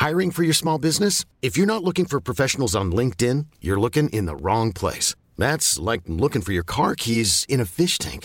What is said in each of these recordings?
Hiring for your small business? If you're not looking for professionals on LinkedIn, you're looking in the wrong place. That's like looking for your car keys in a fish tank.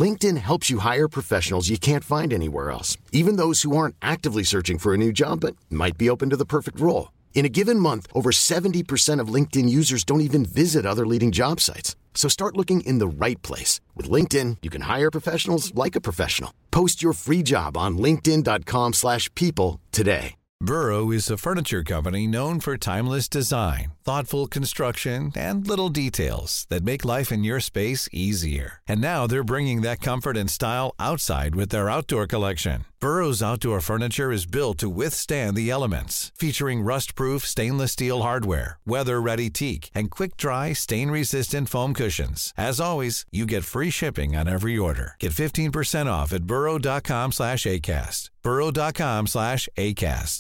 LinkedIn helps you hire professionals you can't find anywhere else, even those who aren't actively searching for a new job but might be open to the perfect role. In a given month, over 70% of LinkedIn users don't even visit other leading job sites. So start looking in the right place. With LinkedIn, you can hire professionals like a professional. Post your free job on linkedin.com/people today. Burrow is a furniture company known for timeless design, thoughtful construction, and little details that make life in your space easier. And now they're bringing that comfort and style outside with their outdoor collection. Burrow's outdoor furniture is built to withstand the elements, featuring rust-proof stainless steel hardware, weather-ready teak, and quick-dry, stain-resistant foam cushions. As always, you get free shipping on every order. Get 15% off at burrow.com/ACAST. burrow.com/ACAST.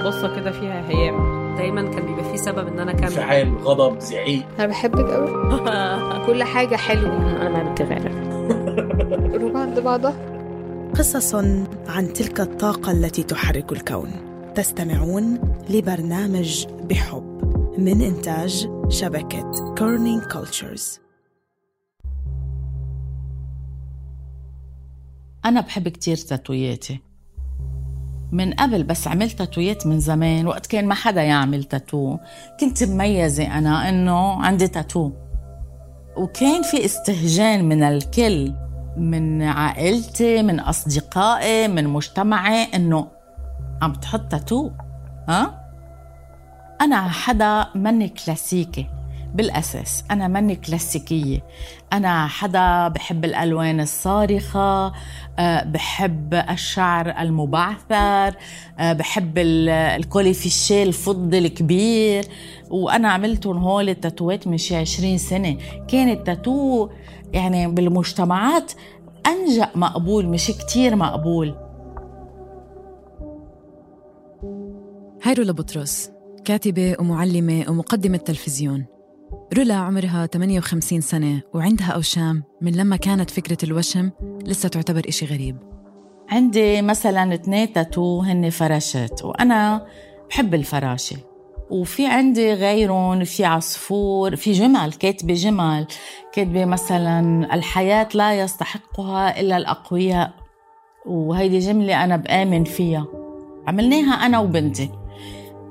قصة كده فيها هيام. دايما كان بيبقى فيه سبب ان انا كمل. انفعال، غضب، زعيق. انا بحبك قوي. كل حاجة حلوة. انا ما بتغير. قلوب عند بعضها. قصص عن تلك الطاقة التي تحرك الكون. تستمعون لبرنامج بحب من إنتاج شبكة كورنينج كولتشرز. أنا بحب كتير تاتوياتي من قبل، بس عملت تاتويات من زمان وقت كان ما حدا يعمل تاتو. كنت مميزة أنا إنه عندي تاتو، وكان في استهجان من الكل، من عائلتي، من أصدقائي، من مجتمعي، إنه عم تحط تاتو. أنا حدا مني كلاسيكي بالأساس، أنا مني كلاسيكية. أنا حدا بحب الألوان الصارخة، بحب الشعر المبعثر، بحب الكوليفيشيه الفضي الكبير. وأنا عملتهم هول التاتوات من شي 20 سنة. كان التاتو يعني بالمجتمعات أنجأ مقبول، مش كتير مقبول. هاي رولا بطرس، كاتبة ومعلمة ومقدمة تلفزيون. رولا عمرها 58 سنة وعندها أوشام من لما كانت فكرة الوشم لسه تعتبر إشي غريب. عندي مثلاً 2 تاتو هن فراشات، وأنا بحب الفراشة. وفي عندي غيرون، في عصفور، في جمل، كاتبة جمل، كاتبة مثلاً الحياة لا يستحقها إلا الأقوياء، وهيدي جملة أنا بآمن فيها. عملناها أنا وبنتي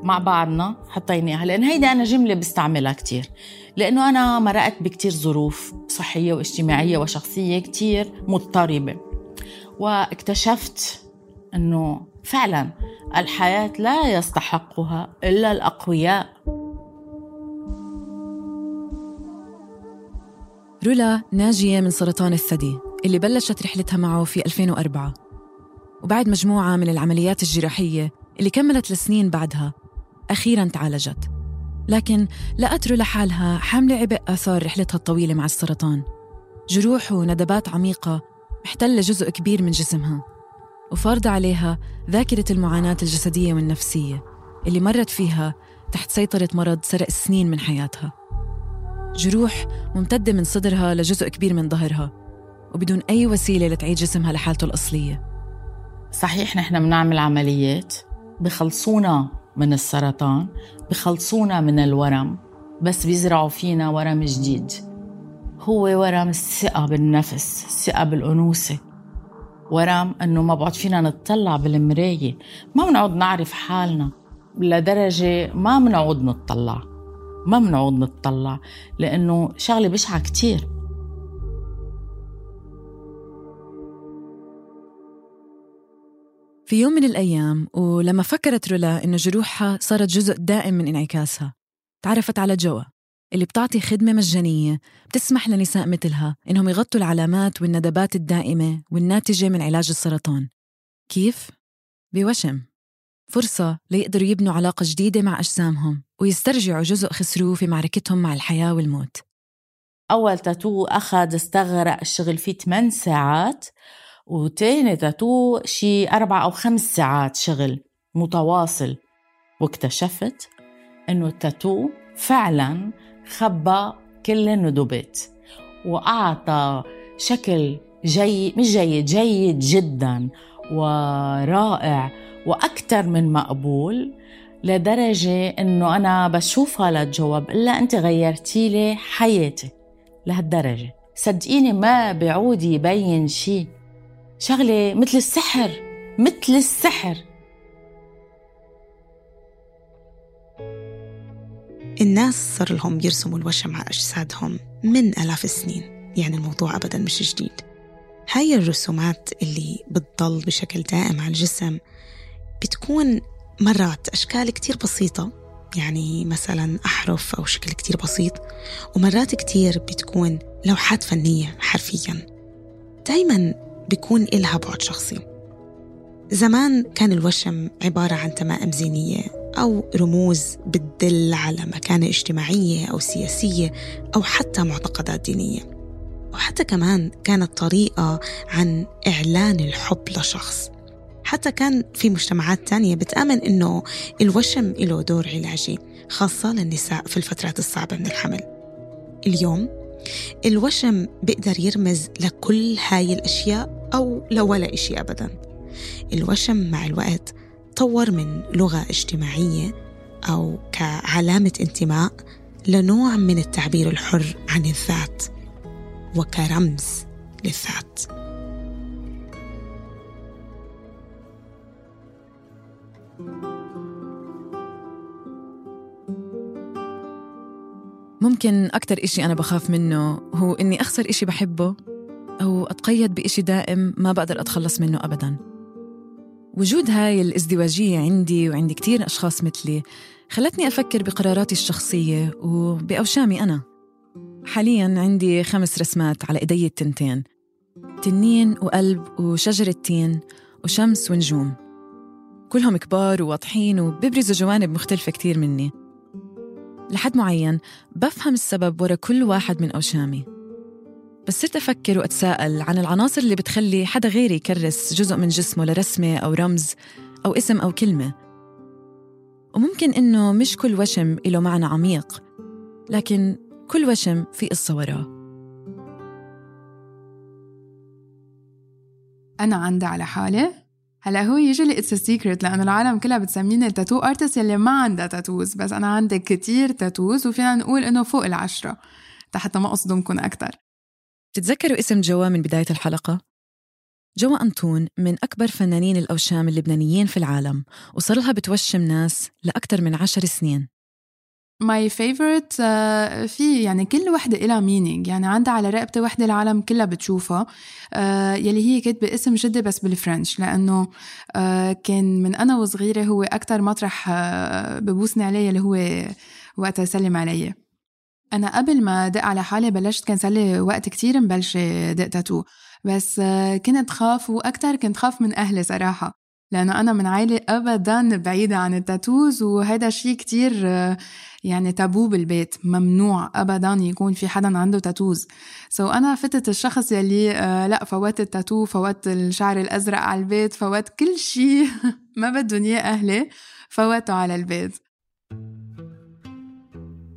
مع بعضنا، حطيناها لأن هيدا أنا جملة بستعملها كتير، لأنه أنا مرقت بكتير ظروف صحية واجتماعية وشخصية كتير مضطربة، واكتشفت أنه فعلا الحياة لا يستحقها إلا الأقوياء. رولا ناجية من سرطان الثدي اللي بلشت رحلتها معه في 2004، وبعد مجموعة من العمليات الجراحية اللي كملت لسنين بعدها أخيراً تعالجت. لكن لقت رولا حالها حاملة عبء آثار رحلتها الطويلة مع السرطان، جروح وندبات عميقة محتلة جزء كبير من جسمها، وفارضة عليها ذاكرة المعاناة الجسدية والنفسية اللي مرت فيها تحت سيطرة مرض سرق سنين من حياتها. جروح ممتدة من صدرها لجزء كبير من ظهرها، وبدون أي وسيلة لتعيد جسمها لحالته الأصلية. صحيح نحن بنعمل عمليات بخلصونا من السرطان، بخلصونا من الورم، بس بيزرعوا فينا ورم جديد، هو ورم الثقة بالنفس، الثقة بالأنوثة، ورم أنه ما بعد فينا نتطلع بالمراية، ما بنعود نعرف حالنا لدرجة ما بنعود نتطلع لأنه شغلة بشعة كتير. في يوم من الأيام ولما فكرت رولا إنه جروحها صارت جزء دائم من انعكاسها، تعرفت على جوا اللي بتعطي خدمة مجانية بتسمح لنساء مثلها إنهم يغطوا العلامات والندبات الدائمة والناتجة من علاج السرطان. كيف؟ بوشم، فرصة ليقدروا يبنوا علاقة جديدة مع أجسامهم ويسترجعوا جزء خسروه في معركتهم مع الحياة والموت. أول تاتو استغرق الشغل فيه 8 ساعات، وتاني تاتو شي 4 أو 5 ساعات شغل متواصل، واكتشفت إنه التاتو فعلاً خبى كل الندبات وأعطى شكل جيد، مش جيد، جيد جداً، ورائع وأكتر من مقبول، لدرجة إنه أنا بشوفها لجوا بقول لها أنت غيرتي لي حياتي لهالدرجة. صدقيني ما بعود يبين شي، شغلة مثل السحر، مثل السحر. الناس صار لهم يرسموا الوشم على أجسادهم من آلاف السنين، يعني الموضوع أبداً مش جديد. هاي الرسومات اللي بتضل بشكل دائم على الجسم بتكون مرات أشكال كتير بسيطة، يعني مثلاً أحرف أو شكل كتير بسيط، ومرات كتير بتكون لوحات فنية حرفياً. دايماً بيكون إلها بعد شخصي. زمان كان الوشم عبارة عن تمائم زينية أو رموز بتدل على مكانة اجتماعية أو سياسية أو حتى معتقدات دينية، وحتى كمان كانت طريقة عن إعلان الحب لشخص. حتى كان في مجتمعات تانية بتآمن إنه الوشم له دور علاجي، خاصة للنساء في الفترات الصعبة من الحمل. اليوم الوشم بيقدر يرمز لكل هاي الأشياء أو لولا إشي أبداً. الوشم مع الوقت طور من لغة اجتماعية أو كعلامة انتماء لنوع من التعبير الحر عن الذات وكرمز للذات. ممكن أكتر إشي أنا بخاف منه هو إني أخسر إشي بحبه أو أتقيد بإشي دائم ما بقدر أتخلص منه أبداً. وجود هاي الازدواجية عندي وعند كتير أشخاص مثلي خلتني أفكر بقراراتي الشخصية وبأوشامي أنا. حالياً عندي 5 رسمات على إيدي التنتين، تنين وقلب وشجرة تين وشمس ونجوم، كلهم كبار وواضحين وبيبرزوا جوانب مختلفة كتير مني. لحد معين بفهم السبب ورا كل واحد من أوشامي، بس صرت أفكر وأتساءل عن العناصر اللي بتخلي حدا غيري يكرس جزء من جسمه لرسمة أو رمز أو اسم أو كلمة. وممكن إنه مش كل وشم له معنى عميق، لكن كل وشم في قصة وراه. أنا عندي على حالة هلا هو يجلي it's a secret، لأنه العالم كلها بتسميني التاتو ارتست اللي ما عندها تاتوز، بس أنا عندي كتير تاتوز وفينا نقول إنه فوق 10 حتى ما أصدمكن أكتر. تتذكروا اسم جوا من بداية الحلقة؟ جوا أنطون من أكبر فنانين الأوشام اللبنانيين في العالم، وصار لها بتوشم ناس لأكتر من 10 سنين. My favorite في يعني كل وحدة إلها meaning، يعني عندها على رقبتي وحدة العالم كلها بتشوفها يلي هي كاتبة اسم جدي بس بالفرنش، لأنه كان من أنا وصغيرة هو أكتر مطرح ببوسني عليه اللي هو وقت يسلم علي. أنا قبل ما دق على حالي بلشت كان سالي وقت كتير مبلش دق تاتو، بس كنت خاف، وأكتر كنت خاف من أهلي صراحة، لأنه أنا من عائلة أبداً بعيدة عن التاتوز، وهذا شيء كتير يعني تابو بالبيت، ممنوع أبداً يكون في حدا عنده تاتوز. أنا فتت الشخص يلي لا فوت التاتو، فوت الشعر الأزرق على البيت، فوت كل شيء ما بدون إياه أهلي فوته على البيت.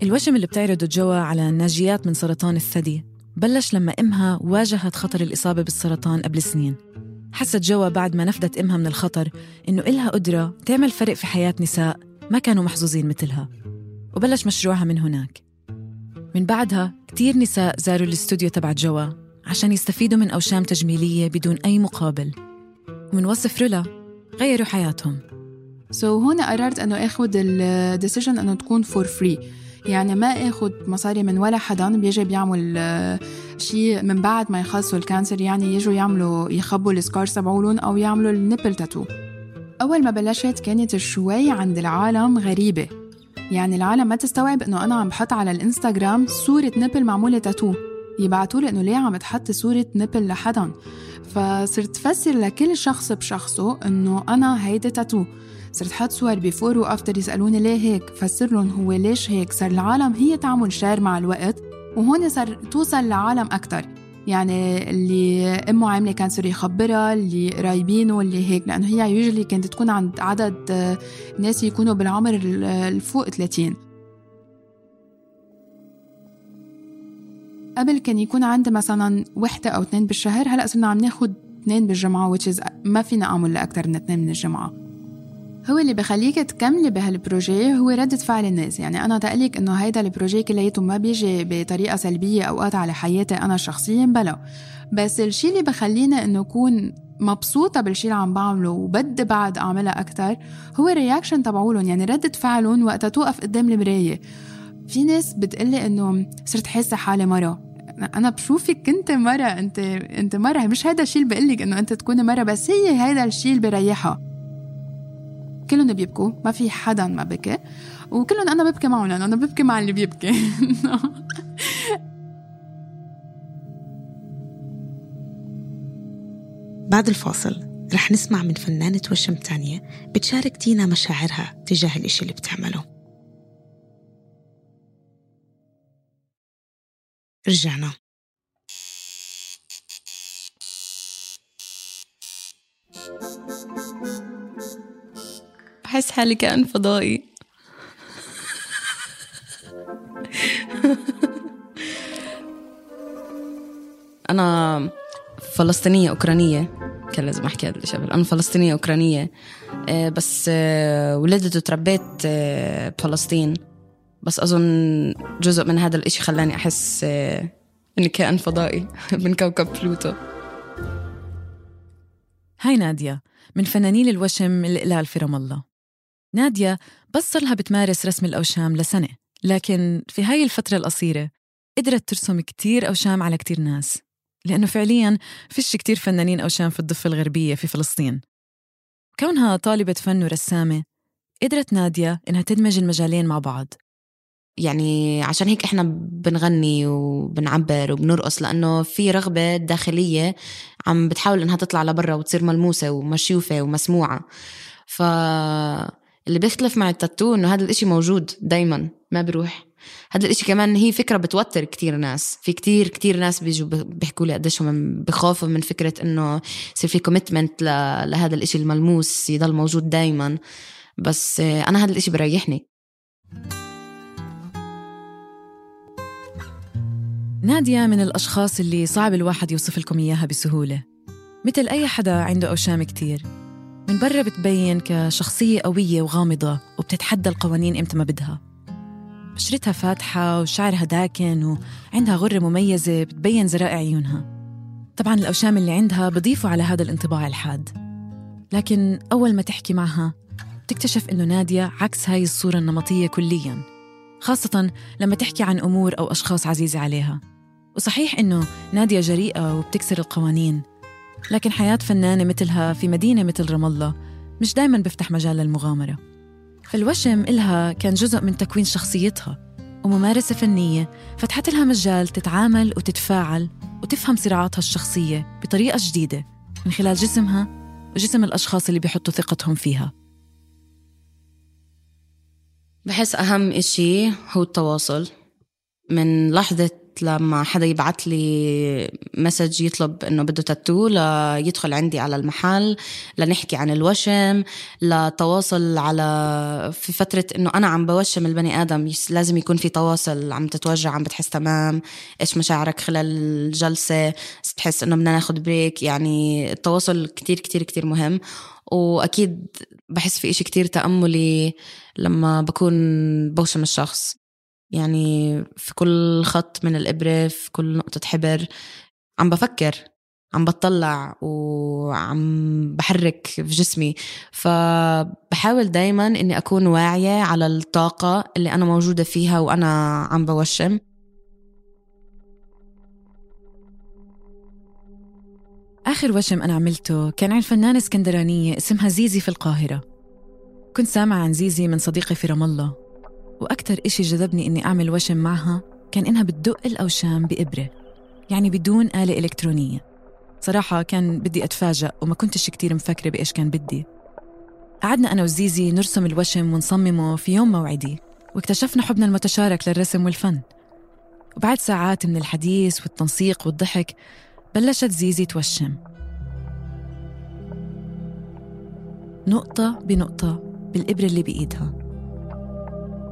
الوشم اللي بتعرضه جوا على ناجيات من سرطان الثدي بلش لما إمها واجهت خطر الإصابة بالسرطان قبل سنين. حست جوا بعد ما نفدت إمها من الخطر إنه إلها قدرة تعمل فرق في حياة نساء ما كانوا محظوظين مثلها، وبلش مشروعها من هناك. من بعدها كتير نساء زاروا الاستوديو تبع جوا عشان يستفيدوا من أوشام تجميلية بدون أي مقابل، ومن وصف رولا غيروا حياتهم. هون قررت أنه أخذ الديسيجن أنه تكون for free، يعني ما أخذ مصاري من ولا حدا بيجي بيعمل شيء من بعد ما يخلصوا الكانسر، يعني يجوا يعملوا يخبوا السكارز تبعولن أو يعملوا النيبل تاتو. أول ما بلشت كانت شوي عند العالم غريبة، يعني العالم ما تستوعب أنه أنا عم بحط على الإنستغرام صورة نيبل معمولة تاتو، يبعتولي أنه ليه عم تحط صورة نيبل لحدا. فصرت فسر لكل شخص بشخصه أنه أنا هيدا تاتو، صرت حط صور بيفور وأفتر يسألوني ليه هيك، فسر لهم هو ليش هيك. صار العالم هي تعمل شير مع الوقت، وهون صار توصل لعالم أكتر، يعني اللي أمه عاملة كانسر يخبرها، اللي قرايبينه اللي هيك، لأنه هي يوجلي كانت تكون عند عدد ناس يكونوا بالعمر الفوق 30. قبل كان يكون عندي مثلا 1 أو 2 بالشهر، هلأ صرنا عم ناخد 2 بالجمعة which is ما فينا أعمل لأكتر من 2 من الجمعة. هو اللي بخليك تكملي بهالبروجي هو ردة فعل الناس. يعني أنا تقلك إنه هيدا البروجي كلياته ما بيجي بطريقة سلبية أوقات على حياتي أنا شخصياً بلا، بس الشي اللي بخلينا إنه أكون مبسوطة بالشي اللي عم بعمله وبدي بعد أعملها أكتر هو الرياكشن تبعولن. يعني ردة فعلهم وقتها توقف قدام المراية. في ناس بتقلي إنه صرت حاسة حالي مرة. أنا بشوفك كنت مرة، أنت مرة، مش هيدا الشي اللي بقلك إنه أنت تكوني مرة، بس هي هيدا الشي اللي بريحها. كلهم بيبكوا، ما في حدا ما بكي، وكلهم أنا ببكي معهم لأنه أنا ببكي مع اللي بيبكي. بعد الفاصل رح نسمع من فنانة وشم تانية بتشارك تينا مشاعرها تجاه الإشي اللي بتعمله. رجعنا. بحس حالي كأن فضائي. أنا فلسطينية أوكرانية، كان لازم أحكي هذا الشيء. أنا فلسطينية أوكرانية، بس ولدت وتربيت بفلسطين. بس أظن جزء من هذا الإشي خلاني أحس إني كائن فضائي من كوكب بلوتو. هاي نادية من فنانين الوشم الإقلال في رام الله. نادية بس صار لها بتمارس رسم الأوشام لسنة، لكن في هاي الفترة القصيرة قدرت ترسم كتير أوشام على كتير ناس، لأنه فعلياً فيش كتير فنانين أوشام في الضفة الغربية في فلسطين. كونها طالبة فن ورسامة قدرت نادية إنها تدمج المجالين مع بعض. يعني عشان هيك إحنا بنغني وبنعبر وبنرقص، لأنه في رغبة داخلية عم بتحاول إنها تطلع لبرا وتصير ملموسة ومشيوفة ومسموعة. فاللي بيختلف مع التاتو إنه هذا الإشي موجود دايماً ما بروح. هذا الإشي كمان هي فكرة بتوتر كتير ناس. في كتير ناس بيجوا بيحكوا لي قديش هم بخافوا من فكرة إنه يصير في كوميتمنت لهذا الإشي الملموس يضل موجود دايماً. بس أنا هذا الإشي بريحني. نادية من الأشخاص اللي صعب الواحد يوصف لكم إياها بسهولة. مثل أي حدا عنده أوشام كتير، من برا بتبين كشخصية قوية وغامضة وبتتحدى القوانين إمتى ما بدها. بشرتها فاتحة وشعرها داكن وعندها غرة مميزة بتبين زرائع عيونها. طبعاً الأوشام اللي عندها بضيفوا على هذا الانطباع الحاد. لكن أول ما تحكي معها تكتشف إنه نادية عكس هاي الصورة النمطية كلياً، خاصة لما تحكي عن أمور أو أشخاص عزيزة عليها. وصحيح إنه نادية جريئة وبتكسر القوانين، لكن حياة فنانة مثلها في مدينة مثل رام الله مش دايماً بفتح مجال للمغامرة. فالوشم إلها كان جزء من تكوين شخصيتها، وممارسة فنية فتحت لها مجال تتعامل وتتفاعل وتفهم صراعاتها الشخصية بطريقة جديدة من خلال جسمها وجسم الأشخاص اللي بيحطوا ثقتهم فيها. بحس أهم إشي هو التواصل. من لحظة لما حدا يبعت لي مسج يطلب إنه بده تاتو، ليدخل عندي على المحل لنحكي عن الوشم، لتواصل على في فترة إنه أنا عم بوشم البني آدم لازم يكون في تواصل. عم تتوجع، عم بتحس تمام، إيش مشاعرك خلال الجلسة، بتحس إنه بدنا ناخد بريك. يعني التواصل كتير كتير كتير مهم. وأكيد بحس في إشي كتير تأملي لما بكون بوشم الشخص. يعني في كل خط من الإبرة، في كل نقطة حبر عم بفكر، عم بطلع وعم بحرك في جسمي. فبحاول دايما إني أكون واعية على الطاقة اللي أنا موجودة فيها وأنا عم بوشم. آخر وشم أنا عملته كان عن فنانة اسكندرانية اسمها زيزي في القاهرة. كنت سامعة عن زيزي من صديقي في رام الله، وأكتر إشي جذبني إني أعمل وشم معها كان إنها بتدق الأوشام بإبرة، يعني بدون آلة إلكترونية. صراحة كان بدي أتفاجأ وما كنتش كتير مفكرة بإيش كان بدي. قعدنا أنا وزيزي نرسم الوشم ونصممه في يوم موعدي، واكتشفنا حبنا المتشارك للرسم والفن. وبعد ساعات من الحديث والتنسيق والضحك بلشت زيزي توشم نقطة بنقطة بالإبرة اللي بإيدها.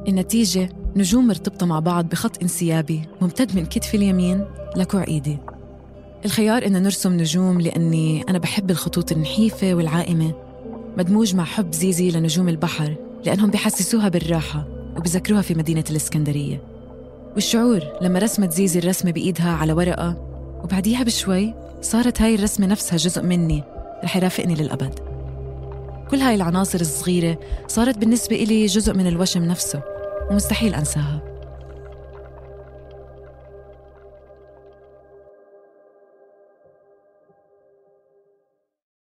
النتيجة نجوم مرتبطة مع بعض بخط انسيابي ممتد من كتف اليمين لكوع إيدي. الخيار إن نرسم نجوم لأني أنا بحب الخطوط النحيفة والعائمة، مدموج مع حب زيزي لنجوم البحر لأنهم بيحسسوها بالراحة وبذكروها في مدينة الإسكندرية. والشعور لما رسمت زيزي الرسمة بإيدها على ورقة وبعديها بشوي صارت هاي الرسمة نفسها جزء مني رح يرافقني للأبد. كل هاي العناصر الصغيرة صارت بالنسبة إلي جزء من الوشم نفسه ومستحيل أنساها.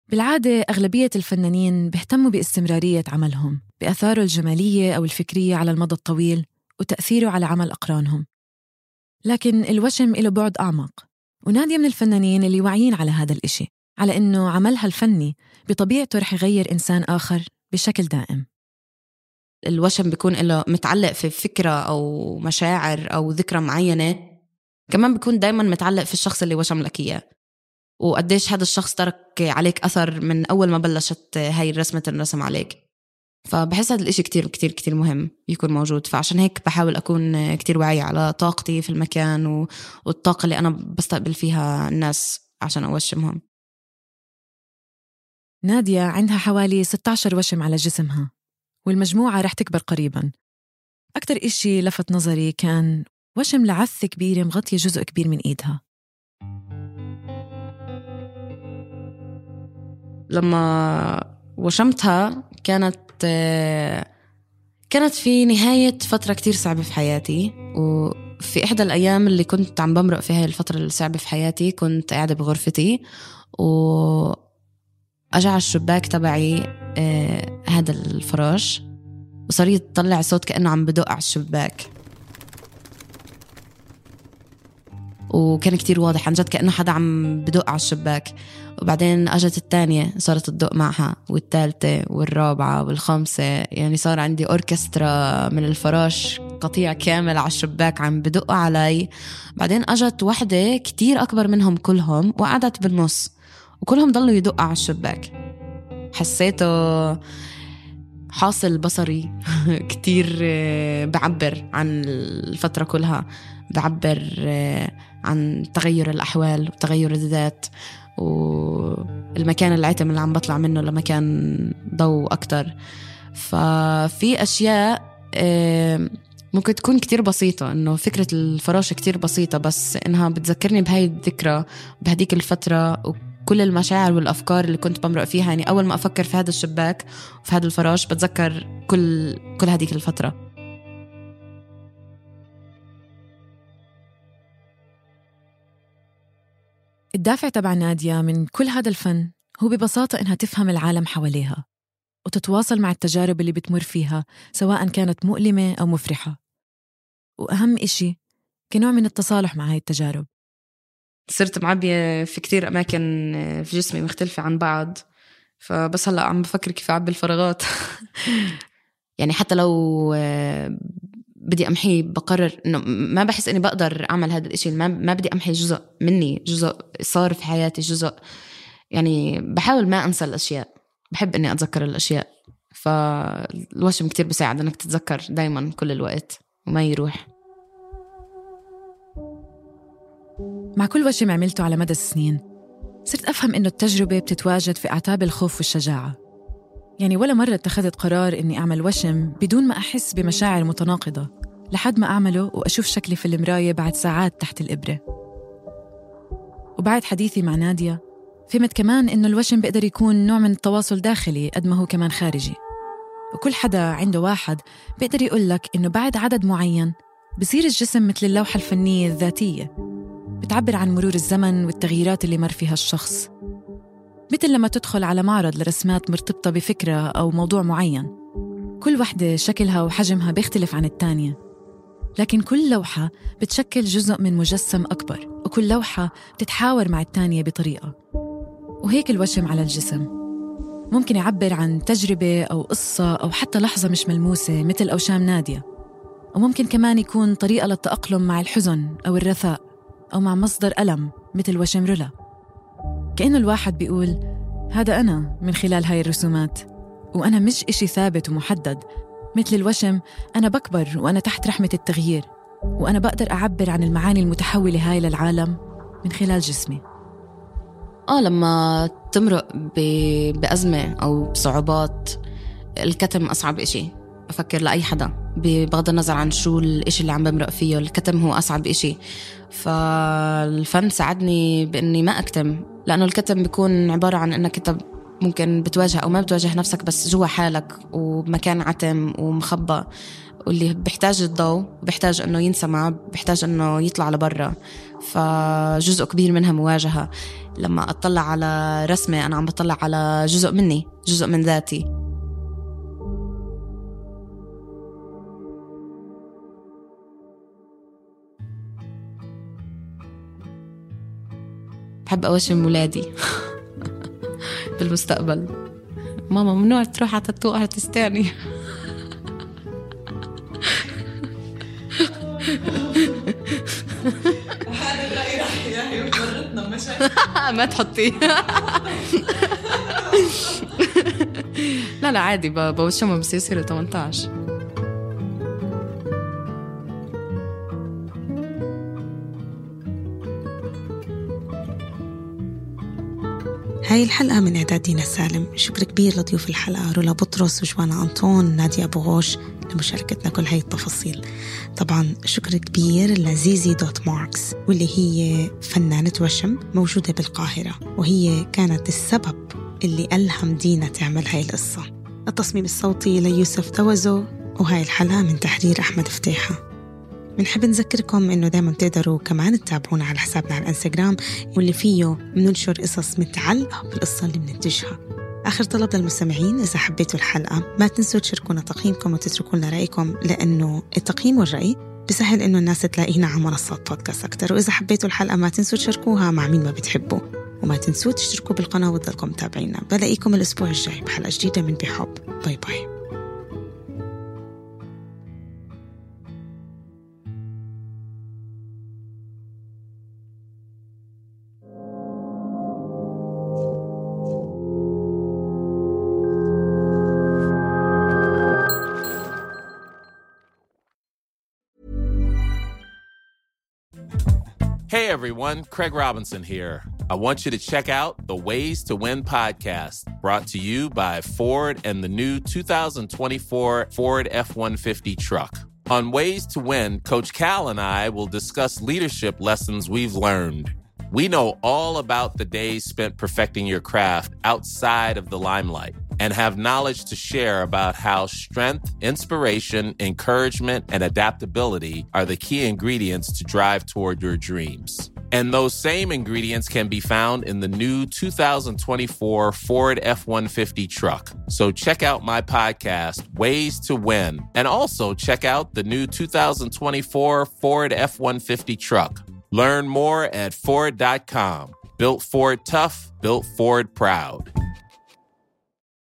بالعادة أغلبية الفنانين بيهتموا باستمرارية عملهم، بأثاره الجمالية أو الفكرية على المدى الطويل وتأثيره على عمل أقرانهم. لكن الوشم له بعد أعمق، ونادية من الفنانين اللي واعيين على هذا الإشي، على إنه عملها الفني بطبيعته رح يغير إنسان آخر بشكل دائم. الوشم بيكون له متعلق في فكرة أو مشاعر أو ذكرى معينة، كمان بيكون دايما متعلق في الشخص اللي وشم لك إياه، وقديش هذا الشخص ترك عليك أثر من أول ما بلشت هاي الرسمة تنرسم عليك. فبحس هذا الإشي كتير كتير كتير مهم يكون موجود. فعشان هيك بحاول أكون كتير واعية على طاقتي في المكان والطاقة اللي أنا بستقبل فيها الناس عشان أوشمهم. نادية عندها حوالي 16 وشم على جسمها، والمجموعة رح تكبر قريباً. أكتر إشي لفت نظري كان وشم لعثة كبيرة مغطية جزء كبير من إيدها. لما وشمتها كانت في نهاية فترة كتير صعبة في حياتي، وفي إحدى الأيام اللي كنت عم بمرق في هاي الفترة الصعبة في حياتي كنت قاعدة بغرفتي وأجع على الشباك تبعي هذا الفراش، وصار يطلع صوت كأنه عم بدق على الشباك، وكان كتير واضح عن جد كأنه حدا عم بدق على الشباك. وبعدين أجت الثانية صارت تدق معها، والثالثة والرابعة والخامسة، يعني صار عندي أوركسترا من الفراش، قطيع كامل على الشباك عم بدق علي. بعدين أجت واحدة كتير أكبر منهم كلهم وقعدت بالنص، وكلهم ضلوا يدق على الشباك. حسيته حاصل بصري كتير بعبر عن الفترة كلها، بعبر عن تغير الأحوال وتغير الذات، والمكان العتم اللي عم بطلع منه لمكان ضوء أكتر. ففي أشياء ممكن تكون كتير بسيطة، إنه فكرة الفراشة كتير بسيطة، بس إنها بتذكرني بهاي الذكرى بهديك الفترة وكل المشاعر والأفكار اللي كنت بمرق فيها. يعني أول ما أفكر في هذا الشباك وفي هذا الفراش بتذكر كل هديك الفترة. الدافع تبع نادية من كل هذا الفن هو ببساطة إنها تفهم العالم حواليها وتتواصل مع التجارب اللي بتمر فيها، سواء كانت مؤلمة أو مفرحة. وأهم إشي كنوع من التصالح مع هاي التجارب. صرت معبية في كتير أماكن في جسمي مختلفة عن بعض، فبس هلأ عم بفكر كيف أعبي الفراغات. يعني حتى لو بدي أمحي بقرر إنه ما بحس إني بقدر أعمل هذا الإشي، ما بدي أمحي جزء مني، جزء صار في حياتي، جزء يعني بحاول ما أنسى الأشياء، بحب إني أتذكر الأشياء. فالوشم كتير بيساعد إنك تتذكر دايما كل الوقت وما يروح. مع كل وشم عملته على مدى السنين صرت أفهم إنه التجربة بتتواجد في أعتاب الخوف والشجاعة. يعني ولا مرة اتخذت قرار إني أعمل وشم بدون ما أحس بمشاعر متناقضة، لحد ما أعمله وأشوف شكلي في المراية بعد ساعات تحت الإبرة. وبعد حديثي مع نادية فهمت كمان إنه الوشم بيقدر يكون نوع من التواصل داخلي قد ما هو كمان خارجي. وكل حدا عنده واحد بيقدر يقولك إنه بعد عدد معين بصير الجسم مثل اللوحة الفنية الذاتية، بتعبر عن مرور الزمن والتغييرات اللي مر فيها الشخص. مثل لما تدخل على معرض لرسمات مرتبطة بفكرة أو موضوع معين، كل وحدة شكلها وحجمها بيختلف عن التانية، لكن كل لوحة بتشكل جزء من مجسم أكبر، وكل لوحة بتتحاور مع التانية بطريقة. وهيك الوشم على الجسم ممكن يعبر عن تجربة أو قصة أو حتى لحظة مش ملموسة مثل أوشام نادية، وممكن كمان يكون طريقة للتأقلم مع الحزن أو الرثاء، أو مع مصدر ألم مثل وشم رولا. كأنه الواحد بيقول هذا أنا من خلال هاي الرسومات، وأنا مش إشي ثابت ومحدد. مثل الوشم أنا بكبر وأنا تحت رحمة التغيير، وأنا بقدر أعبر عن المعاني المتحولة هاي للعالم من خلال جسمي. لما تمرق بأزمة أو بصعوبات، الكتم أصعب إشي أفكر لأي حدا، بغض النظر عن شو الإشي اللي عم بمرق فيه، الكتم هو أصعب إشي. فالفن ساعدني بإني ما أكتم، لأنه الكتم بيكون عبارة عن إنك أنت ممكن بتواجه أو ما بتواجه نفسك، بس جوا حالك وبمكان عتم ومخبى، واللي بيحتاج الضوء، بيحتاج إنه ينسمع، بيحتاج إنه يطلع لبرا. فجزء كبير منها مواجهة. لما أطلع على رسمة أنا عم بطلع على جزء مني، جزء من ذاتي. بحب أوشم ولادي بالمستقبل. ماما ممنوع تروح على تاتو ارتست تاني. هذا الرأي رح يفرطنا مشاكل. ما تحطيه. لا عادي بوشمهم بس يصيروا 18. هاي الحلقة من إعداد دينا سالم. شكر كبير لضيوف الحلقة رولا بطرس وجوانا أنطون نادية أبو غوش لمشاركتنا كل هاي التفاصيل. طبعا شكر كبير لزيزي دوت ماركس، واللي هي فنانة وشم موجودة بالقاهرة، وهي كانت السبب اللي ألهم دينا تعمل هاي القصة. التصميم الصوتي ليوسف توزو، وهاي الحلقة من تحرير أحمد فتيحة. بنحب نذكركم إنه دايما تقدروا كمان تتابعونا على حسابنا على الانستغرام، واللي فيه بننشر قصص متعلقة بالقصة اللي بننتجها. آخر طلب للمستمعين، إذا حبيتوا الحلقة ما تنسوا تشاركونا تقييمكم وتتركوا لنا رأيكم، لأنه التقييم والرأي بسهل إنه الناس تلاقينا على منصات بودكاست أكتر. وإذا حبيتوا الحلقة ما تنسوا تشاركوها مع مين ما بتحبوا، وما تنسوا تشتركوا بالقناة وتضلكم تابعينا. بلاقيكم الأسبوع الجاي بحلقة جديدة من بحب. باي باي. Hey everyone, Craig Robinson here. I want you to check out the Ways to Win podcast, brought to you by Ford and the new 2024 Ford F-150 truck. On Ways to Win, Coach Cal and I will discuss leadership lessons we've learned. We know all about the days spent perfecting your craft outside of the limelight, and have knowledge to share about how strength, inspiration, encouragement, and adaptability are the key ingredients to drive toward your dreams. And those same ingredients can be found in the new 2024 Ford F-150 truck. So check out my podcast, Ways to Win, and also check out the new 2024 Ford F-150 truck. Learn more at Ford.com. Built Ford tough, built Ford proud.